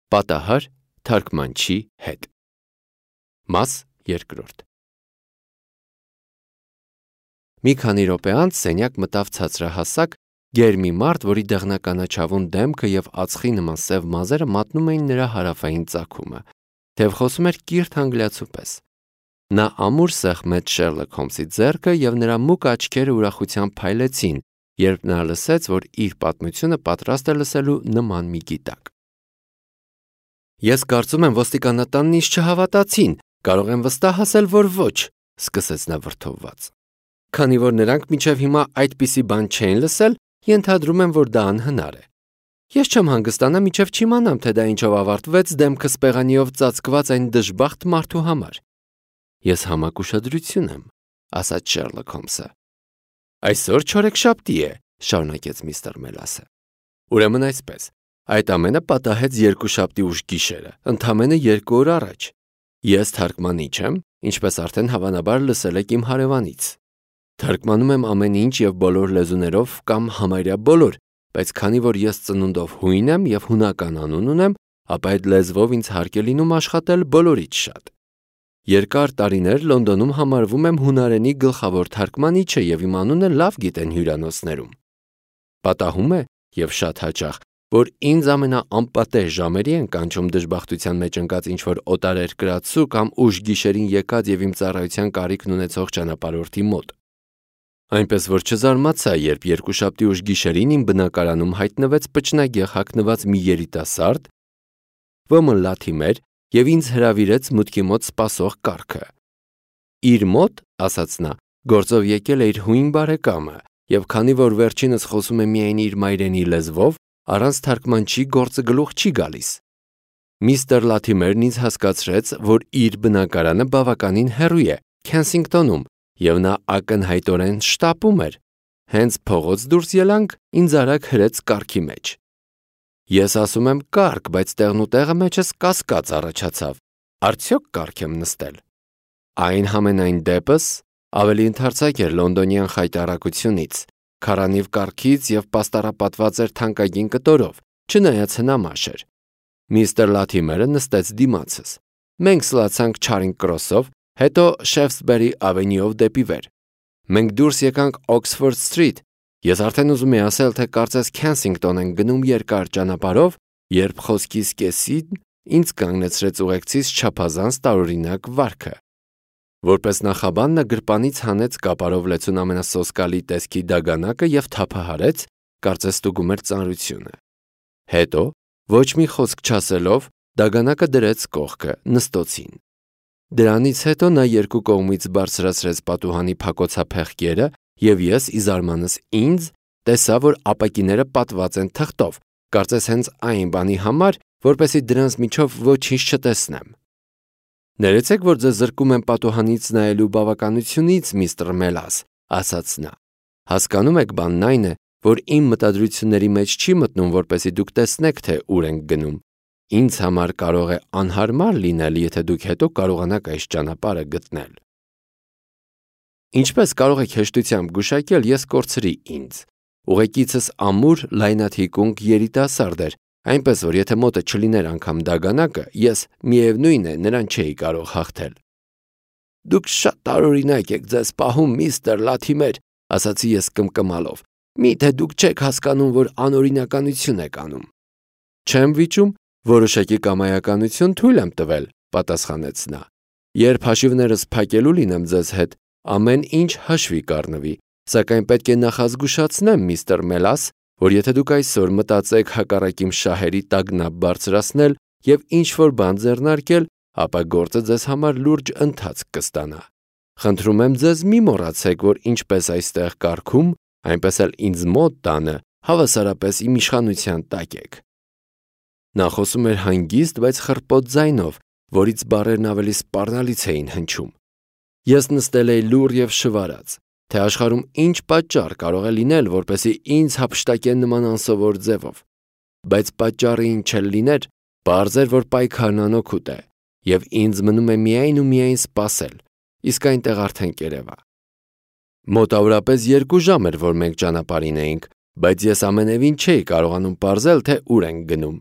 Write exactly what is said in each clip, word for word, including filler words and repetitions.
Պատահար թարգմանչի հետ։ Մաս երկրորդ։ Մի քանի րոպե անց սենյակ մտավ ցածրահասակ, գեր մի մարդ, որի դեղնականաչավուն դեմքը և ածխի նման սև մազերը մատնում էին նրա հարավային ծագումը, թեև խոսում էր կիրթ անգլիացու պես։ Նա ամուր սեղմեց Շերլոկ Հոլմսի ձեռքը և նրա մուգ աչքերը ուրախությամբ փայլեցին, երբ նա լսեց, որ իր պատմությունը պատրաստ է լսելու նման մի գիտակ։ Ես կարծում եմ ոստիկանատանն ինձ չհավատացին, կարող եմ վստահ ասել, որ ոչ, սկսեց նա վրդովված։ Քանի որ նրանք մինչև հիմա այդպիսի բան չեն լսել, ենթադրում եմ, որ դա անհնար է։ Ես չեմ հանգստանա, մինչև չիմանամ, թե դա ինչով ավարտվեց դեմքս պեղանիով ծածկված այն դժբախտ մարդու համար։ Ես համակ ուշադրություն եմ, ասաց Շերլոկ Հոլմսը։ Այսօր չորեքշաբթի է, շարունակեց միստր Մելասը։ Ուրեմն այսպես, այդ ամենը պատահեց երկուշաբթի ուշ գիշերը, ընդամենը երկու օր առաջ։ Ես թարգմանիչ եմ, ինչպես արդեն հավանաբար լսել եք իմ հարևանից։ Թարգմանում եմ ամեն ինչ և բոլոր լեզուներով կամ համարյա բոլոր, բայց քանի որ ես ծնունդով հույն եմ և հունական անուն ունեմ, ապա այդ լեզվով ինձ հարկ է լինում աշխատել բոլորից շատ։ Երկար տարիներ Լոնդոնում համարվում եմ հունարենի գլխավոր թարգմանիչը և իմ անունը լավ գիտեն հյուրանոցներում։ Պատահում է, և շատ հաճախ, որ ինձ ամենաանպատեժ ժամերի են կանչում դժբախտության մեջ ընկած ինչ-որ օտարերկրացու կամ ուշ գիշերին եկած և իմ ծառայության կարիքն ունեցող ճանապարհորդի մոտ։ Այնպես որ չզարմացա, երբ երկուշաբթի ուշ գիշերին իմ բնակարանում հայտնվեց պճնագեղ հագնված մի երիտասարդ, ոմն լաթիմեր, և ինձ հրավիրեց մուտքի մոտ սպասող կառքը։ Իր մոտ, ասաց նա, գործով եկել է իր հույն բարեկամը, և քանի որ վերջինս խոսում է միայն իր մայրենի լեզվով, առանց թարգմանչի գործը գլուխ չի գալիս։ Միստր Լաթիմերն ինձ հասկացրեց, որ իր բնակարանը բավականին հեռու է, Քենսինգտոնում, և նա ակնհայտորեն շտապում էր։ Հենց փողոց դուրս ելանք, ինձ արագ հրեց կառքի մեջ։ Ես ասում եմ կառք, բայց տեղնուտեղը մեջս կասկած առաջացավ։ Արդյոք կառք եմ նստել։ Այն համենայն դեպս ավելի ընդարձակ էր լոնդոնյան խայտառակությունից, քարանիվ կառքից և պաստառապատված էր թանկագին կտորով, չնայած հնամաշ էր։ Միստր Լաթիմերը նստեց դիմացս։ Մենք սլացանք Չարինգ Քրոսով, հետո Շեֆսբերի ավենյուով դեպի վեր։ Մենք դուրս եկանք Օքսֆորդ Սթրիթ։ Ես արդեն ուզում էի ասել, թե կարծես Քենսինգտոն ենք գնում երկար ճանապարհով, երբ խոսքիս կեսին ինձ կանգնեցրեց ուղեկցիս չափազանց տարօրինակ վարքը։ Որպես նախաբան նա գրպանից հանեց կապարով լեցուն ամենասոսկալի տեսքի դագանակը և թափահարեց, կարծես ստուգում էր ծանրությունը։ Հետո, ոչ մի խոսք չասելով, դագանակը դրեց կողքը, նստոցին։ Դրանից հետո նա երկու կողմից բարձրացրեց պատուհանի փակոցափեղկերը, և ես, ի զարմանս ինձ, տեսա, որ ապակիները պատված են թղթով, կարծես հենց այն բանի համար, որպեսզի դրանց միջով ոչինչ չտեսնեմ։ Ներեցեք, որ ձեզ զրկում եմ պատուհանից նայելու բավականությունից, միստր Մելաս, ասաց նա։ Հասկանում եք, բանն այն է, որ իմ մտադրությունների մեջ չի մտնում, որպեսզի դուք տեսնեք, թե ուր ենք գնում։ Ինձ համար կարող է անհարմար լինել, եթե դուք հետո կարողանաք այս ճանապարհը գտնել։ Ինչպես կարող եք հեշտությամբ գուշակել, ես կորցրի ինձ։ Ուղեկիցս ամուր, լայնաթիկունք երիտասարդ էր, այնպես որ եթե մոտը չլիներ անգամ դագանակը, ես, միևնույն է, նրան չէի կարող հաղթել։ Դուք շատ տարօրինակ եք ձեզ պահում, միստր Լաթիմեր, ասացի ես կմկմալով։ Միթե դուք չեք հասկանում, որ անօրինականություն եք անում։ Չեմ վիճում, որոշակի կամայականություն թույլ եմ տվել, պատասխանեց նա։ Երբ հաշիվներս փակելու լինեմ ձեզ հետ, ամեն ինչ հաշվի կառնվի, սակայն պետք է նախազգուշացնեմ, միստր Մելաս, որ եթե դուք այսօր մտածեք հակառակ իմ շահերի տագնապ բարձրացնել և ինչ-որ բան ձեռնարկել, ապա գործը ձեզ համար լուրջ ընթացք կստանա։ Խնդրում եմ ձեզ մի մոռացեք, որ ինչպես այստեղ կառքում, այնպես էլ ինձ մոտ տանը հավասարապես իմ իշխանության տակ եք։ Նա խոսում էր հանգիստ, բայց խռպոտ ձայնով, որից բառերն ավելի սպառնալից էին հնչում։ Ես նստել էի լուռ և շվարած, թե աշխարհում ինչ պատճառ կարող է լինել, որպեսզի ինձ հափշտակեն նման անսովոր ձևով։ Բայց պատճառը ինչ էլ լիներ, պարզ էր, որ պայքարն անօգուտ է, և ինձ մնում է միայն ու միայն սպասել, իսկ այնտեղ արդեն կերևա։ Մոտավորապես երկու ժամ էր, որ մենք ճանապարհին էինք, բայց ես ամենևին չէի կարողանում պարզել, թե ուր ենք գնում։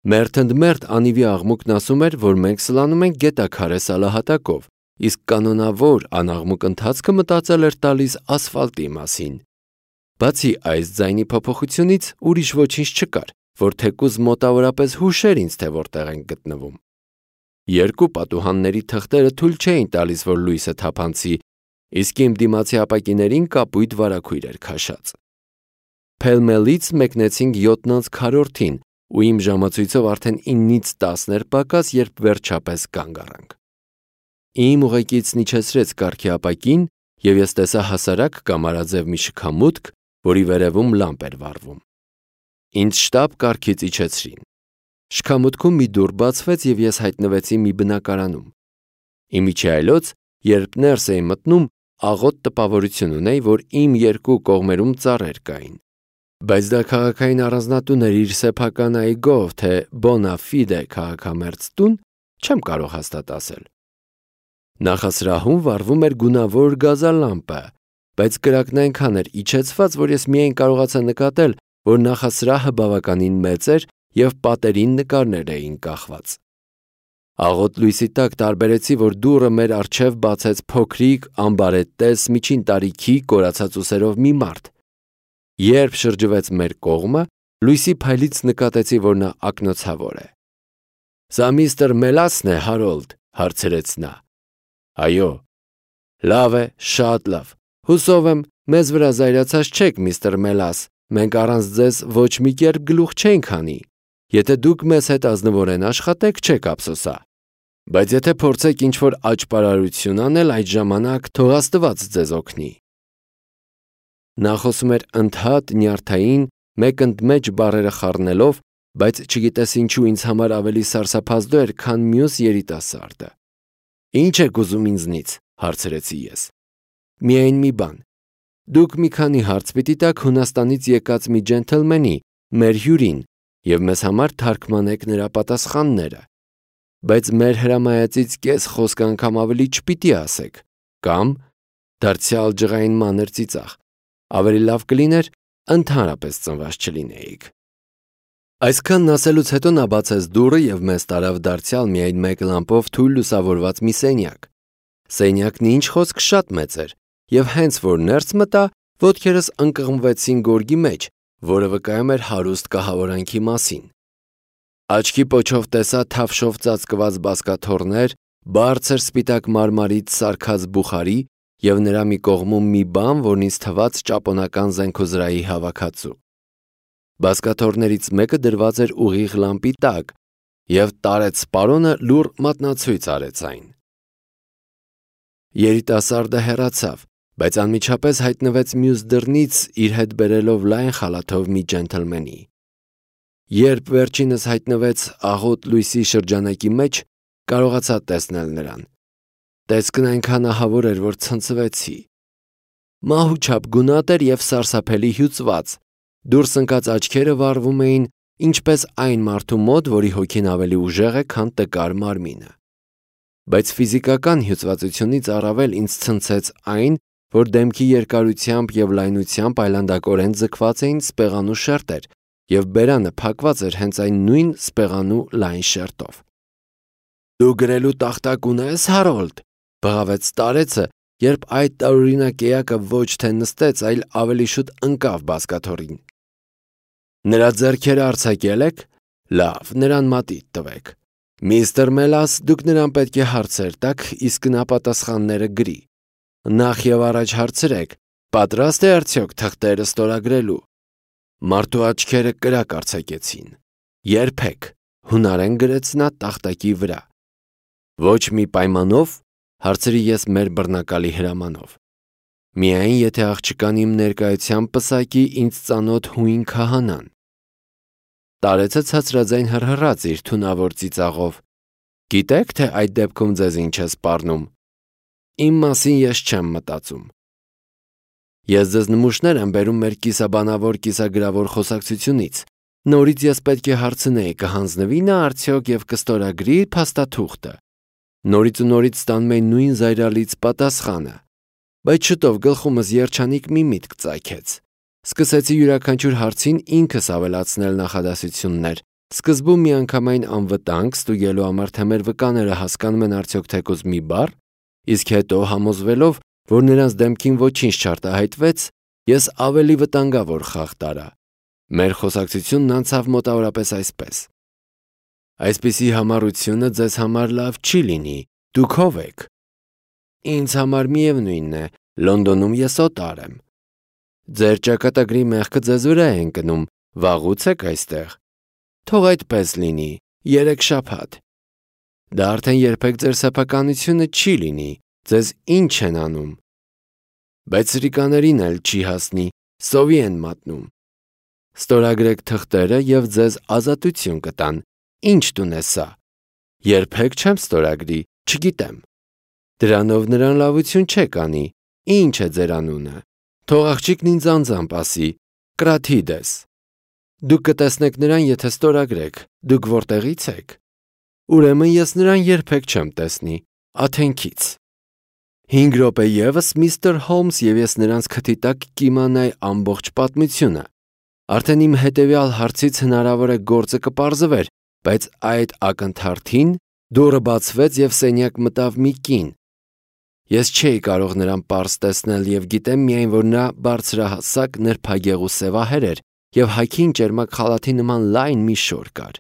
Մերթ ընդ մերթ անիվի աղմուկն ասում էր, որ մենք սլանում ենք գետաքարե սալահատակով, իսկ կանոնավոր անաղմուկ ընթացքը մտածել էր տալիս ասֆալտի մասին։ Բացի այս ձայնի փոփոխությունից ուրիշ ոչինչ չկար, որ թեկուզ մոտավորապես հուշեր ինձ, թե որտեղ ենք գտնվում։ Երկու պատուհանների թղթերը թույլ չէին տալիս, որ լույսը թափանցի, իսկ իմ դիմացի ապակիներին կապույտ վարագույր էր քաշած։ Փելմելից մեկնեցինք յոթն անց քառորդին, ու իմ ժամացույցով արդեն իննից տասն էր պակաս, երբ վերջապես կանգ առանք։ Իմ ուղեկիցն իջեցրեց կառքի ապակին, և ես տեսա հասարակ կամարաձև մի շքամուտք, որի վերևում լամպ էր վառվում։ Ինձ շտապ կառքից իջեցրին։ Շքամուտքում մի դուռ բացվեց, և ես հայտնվեցի մի բնակարանում։ Իմիջի այլոց, երբ ներս էի մտնում, աղոտ տպավորություն ունեի, որ իմ երկու կողմերում ծառեր կային։ Բայց դա քաղաքային առանձնատուն էր իր սեփական այգով, թե bona fide քաղաքամերձ տուն, չեմ կարող հաստատ ասել։ Նախասրահում վառվում էր գունավոր գազալամպը, բայց կրակն այնքան էր իջեցված, որ ես միայն կարողացա նկատել, որ նախասրահը բավականին մեծ էր և պատերին նկարներ էին կախված։ Աղոտ լույսի տակ տարբերեցի, որ դուռը մեր առջև բացեց փոքրիկ, ամբարետես, միջին տարիքի, կորացած ուսերով մի մարդ։ Երբ շրջվեց մեր կողմը, լույսի փայլից նկատեցի, որ նա ակնոցավոր է։ «Սա միստր Մելասն է, Հարոլդ», հարցրեց նա։ «Այո»։ «Լավ է, շատ լավ։ Հուսով եմ, մեզ վրա զայրացած չեք, միստր Մելաս, մենք առանց ձեզ ոչ մի կերպ գլուխ չենք հանի։ Եթե դուք մեզ հետ ազնվորեն աշխատեք, չեք ափսոսա։ Բայց եթե փորձեք ինչ-որ աճպարարություն անել, այդ ժամանակ թող Աստված ձեզ օգնի»։ Նա խոսում էր ընդհատ, նյարդային, մեկ ընդմեջ բառերը խառնելով, բայց չգիտես ինչու ինձ համար ավելի սարսափազդու էր, քան մյուս երիտասարդը։ «Ինչ եք ուզում ինձնից», հարցրեցի ես։ «Միայն մի բան։ Դուք մի քանի հարց պիտի տաք Հունաստանից եկած մի ջենթլմենի, մեր հյուրին, և մեզ համար թարգմանեք նրա պատասխանները։ Բայց մեր հրամայածից կես խոսք անգամ ավելի չպիտի ասեք, կամ դարձյալ ջղային մանր ծիծաղ, ավելի լավ կլիներ ընդհանրապես ծնված չլինեիք»։ Այսքանն ասելուց հետո նա բացեց դուռը և մեզ տարավ դարձյալ միայն մեկ լամպով թույլ լուսավորված մի սենյակ։ Սենյակն ինչ խոսք շատ մեծ էր, և հենց որ ներս մտա, ոտքերս ընկղմվեցին գորգի մեջ, որը վկայում էր հարուստ կահավորանքի մասին։ Աչքի պոչով տեսա թավշով ծածկված բազկաթոռներ, բարձր սպիտակ մարմարից սարքած բուխարի և նրա մի կողմում մի բան, որն ինձ թվաց ճապոնական զենքոզրահի հավաքածու։ Բազկաթոռներից մեկը դրված էր ուղիղ լամպի տակ, և տարեց սպարոնը լուռ մատնացույց արեց այն։ Երիտասարդը հեռացավ, բայց անմիջապես հայտնվեց մյուս դռնից, իր հետ բերելով լայն խալաթով մի ջենթլմենի։ Երբ վերջինս հայտնվեց աղոտ լույսի շրջանակի մեջ, կարողացա տեսնել նրան։ Տեսքն այնքան ահավոր էր, որ ցնցվեցի։ Մահուչափ գունատ էր և սարսափելի հյուծված, դուրս ընկած աչքերը վառվում էին, ինչպես այն մարդու մոտ, որի հոգին ավելի ուժեղ է, քան տկար մարմինը։ Բայց ֆիզիկական հյուծվածությունից առավել ինձ ցնցեց այն, որ դեմքի երկարությամբ և լայնությամբ այլանդակորեն ձգված էին սպեղանու շերտեր, և բերանը փակված էր հենց այն նույն սպեղանու լայն շերտով։ «Դու գրելու տախտակ ունե՞ս, Հարոլդ», բղավեց старեցը, երբ այդ տարօրինակ էակը ոչ թե նստեց, այլ ավելի շուտ ընկավ բազկաթոռին։ «Նրա ձեռքերը արձակե՞լ եք։ Լավ, նրան մատիտ տվեք։ Միստր Մելաս, դուք նրան պետք է հարցեր տաք, իսկ նա պատասխանները գրի։ Նախ և առաջ հարցրեք, պատրաստ է արդյոք թղթերը ստորագրելու»։ Մարդու աչքերը կրակ արձակեցին։ «Երբեք», հունարեն գրեց նա տախտակի վրա։ «Ոչ մի պայմանով», հարցրի ես մեր բռնակալի հրամանով։ «Միայն եթե աղջկան իմ ներկայությամբ պսակի ինձ ծանոթ հույն քահանան»։ Տարեցը ցածրաձայն հռհռաց իր թունավոր ծիծաղով։ «Գիտեք, թե այդ դեպքում ձեզ ինչ է սպառնում։ Իմ մասին ես չեմ մտածում։ Ես ձեզ նմուշներ եմ բերում մեր կիսաբանավոր կիսագրավոր խոսակցությունից։ Նորից ես պետք է հարցնեի, կհանձնվի նա արդյոք և կստորագրի փաստաթուղթը։ Նորից ու նորից ստանում էի նույն զայրալից պատասխանը։ Բայց շուտով գլխումս երջանիկ մի միտք ծագեց։ Սկսեցի յուրաքանչյուր հարցին ինքս ավելացնել նախադասություններ, Սկզբում միանգամայն անվտանգ ստուգելու համար, թե մեր վկաները հասկանում են արդյոք թեկուզ մի բառ, իսկ հետո համոզվելով, որ նրանց դեմքին ոչինչ չարտահայտվեց, ես ավելի վտանգավոր խաղ տարա։ Մեր խոսակցությունն անցավ մոտավորապես այսպես. Այսպիսի համառությունը ձեզ համար լավ չի լինի, դուք ով եք։ Ինձ համար միևնույնն է, Լոնդոնում ես օտար եմ։ Ձեր ճակատագրի մեղքը ձեզ վրա է ընկնում, վաղուց եք այստեղ։ Թող այդպես լինի, երեք շաբաթ։ Դա արդեն երբեք ձեր սեփականությունը չի լինի, ձեզ ինչ են անում։ Բայց սրիկաներին էլ չի հասնի, սովի են մատնում։ Ստորագրեք թղթերը և ձեզ ազատություն կտան, ինչ տուն է սա։ Երբեք չեմ ստորագրի, չգիտեմ։ Դրանով նրան լավություն չեք անի, ինչ է ձեր անունը։ Թող աղջիկն ինձ անձամբ ասի, Կրաթիդես։ Դուք կտեսնեք նրան, եթե ստորագրեք, դուք որտեղից եք։ Ուրեմն ես նրան երբեք չեմ տեսնի, Աթենքից։ Հինգ րոպե ևս միստր Հոլմս և ես նրանց քթի տակ կիմանայի ամբողջ պատմությունը։ Արդեն իմ հետևյալ հարցից հնարավոր է գործը կպարզվեր, բայց այդ ակնթարթին դուռը բացվեց և սենյակ մտավ մի կին։ Ես չէի կարող նրան պարզ տեսնել և գիտեմ միայն, որ նա բարձրահասակ, նրբագեղ ու սևահեր էր և հագին ճերմակ խալաթի նման լայն մի շոր կար։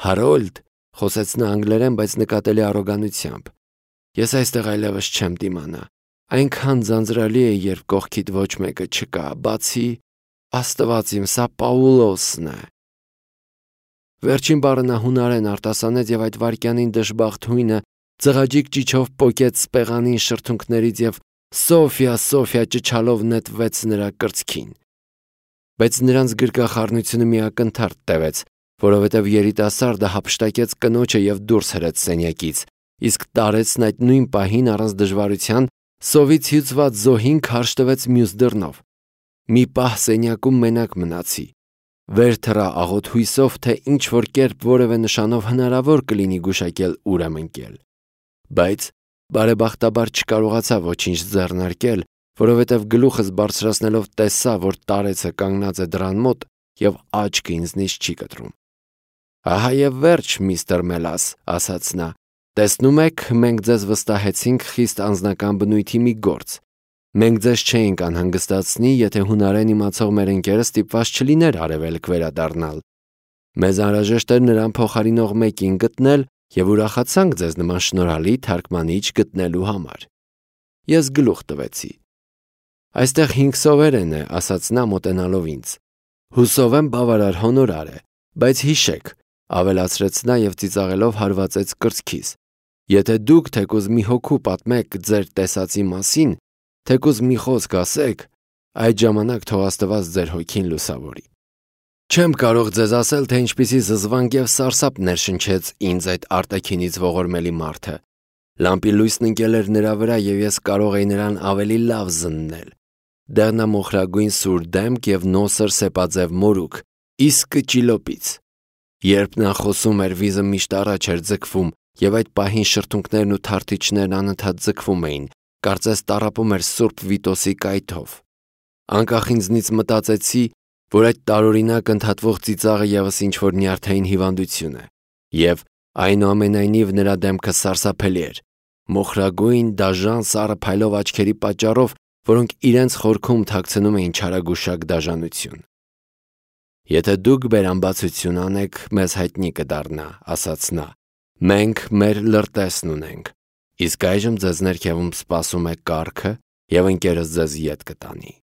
Հարոլդ, խոսեց նա անգլերեն, բայց նկատելի առոգանությամբ, ես այստեղ այլևս չեմ դիմանա։ Այնքան ձանձրալի է, երբ կողքիդ ոչ մեկը չկա, բացի Աստված իմ, սա Պաուլոսն է։ Վերջին բառը նա հունարեն արտասանեց և այդ վայրկյանին դժբախտ հույնը ձղաջիկ ճիչով պոկեց սպեղանին շրթունքներից և Սոֆիա, Սոֆիա ճչալով նետվեց նրա կրծքին։ Բայց նրանց գրկախառնությունը մի ակնթարթ տևեց, որովհետև երիտասարդը հափշտակեց կնոջը և դուրս հրեց սենյակից, իսկ տարեցն այդ նույն պահին առանց դժվարության սովից հյուծված զոհին քարշ տվեց մյուս դռնով։ Մի պահ սենյակում մենակ մնացի։ Վեր թռա աղոտ հույսով, թե ինչ-որ կերպ որևէ նշանով հնարավոր կլինի գուշակել ուր եմ ընկել։ Բայց բարեբախտաբար չկարողացա ոչինչ ձեռնարկել, որովհետև գլուխս բարձրացնելով տեսա, որ տարեցը կանգնած է դռան մոտ և աչքը ինձնից չի կտրում։ Ահա և վերջ, միստր Մելաս, ասաց նա, տեսնում եք, մենք ձեզ վստահեցինք խիստ անձնական բնույթի մի գործ։ Մենք ձեզ չէինք անհանգստացնի, եթե հունարեն իմացող մեր ընկերը ստիպված չլիներ արևելք վերադառնալ։ Մեզ անհրաժեշտ էր նրան փոխարինող մեկին գտնել և ուրախացանք ձեզ նման շնորհալի թարգմանիչ գտնելու համար։ Ես գլուխ տվեցի։ Այստեղ հինգ սովերեն է, ասաց նա մոտենալով ինձ։ Հուսով եմ բավարար հոնորար է, բայց հիշեք, ավելացրեց նա և ծիծաղելով հարվածեց կրծքիս։ Եթե դուք թեկուզ մի հոգու պատմեք ձեր տեսածի մասին, թեկուզ մի խոսք ասեք, այդ ժամանակ թող Աստված ձեր հոգին լուսավորի։ Չեմ կարող ձեզ ասել, թե ինչպիսի զզվանք և սարսափ ներշնչեց ինձ այդ արտաքինից ողորմելի մարդը։ Լամպի լույսն ընկել էր նրա վրա և ես կարող էի նրան ավելի լավ զննել։ Դեղնամոխրագույն սուր դեմք և նոսր սեպաձև մորուք, իսկը ճիլոպից։ Երբ նա խոսում էր, վիզը միշտ առաջ էր ձգվում, և այդ պահին շրթունքներն ու թարթիչներն անընդհատ ձգվում էին, կարծես տառապում էր Սուրբ Վիտոսի կայթով։ Անկախ ինձնից մտածեցի, որ այդ տարօրինակ ընդհատվող ծիծաղը ևս ինչ-որ նյարդային հիվանդություն է, և այնուամենայնիվ նրա դեմքը սարսափելի էր, մոխրագույն, դաժան, սառը փայլով աչքերի պատճառով, որոնք իրենց խորքում թաքցնում էին չարագուշակ դաժանություն։ Եթե դուք բերամբացություն անեք, մեզ հայտնի կդառնա, ասաց նա։ Մենք մեր լրտեսն ունենք, իսկ այժմ ձեզ ներքևում սպասում է կառքը, և ընկերս ձեզ ետ կտանի։